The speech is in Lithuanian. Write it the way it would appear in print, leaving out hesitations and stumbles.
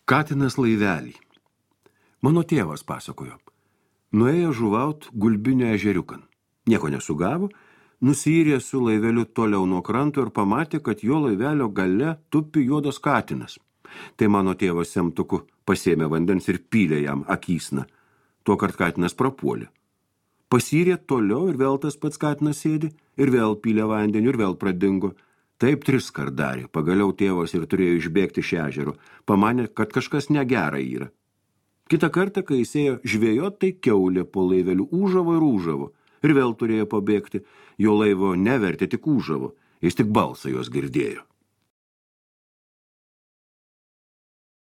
Katinas laivelį. Mano tėvas pasakojo. Nuėjo žuvaut Gulbinio ežeriukan. Nieko nesugavo, nusiyrė su laiveliu toliau nuo kranto ir pamatė, kad jo laivelio gale tupi juodas katinas. Tai mano tėvas semtuku pasėmė vandens ir pylė jam akysną. Tuokart katinas prapuolė. Pasyrė toliau ir vėl tas pats katinas sėdi, ir vėl pylė vandenį, ir vėl pradingo. Taip 3 kart darė. Pagaliau tėvas ir turėjo išbėgti iš ežero. Pamanė, kad kažkas negera yra. Kitą kartą, kai jis ėjo žvejot, tai kiaulė po laiveliu ūžavo ir ūžavo. Ir vėl turėjo pabėgti. Jo laivo nevertė, tik ūžavo. Jis tik balsą jos girdėjo.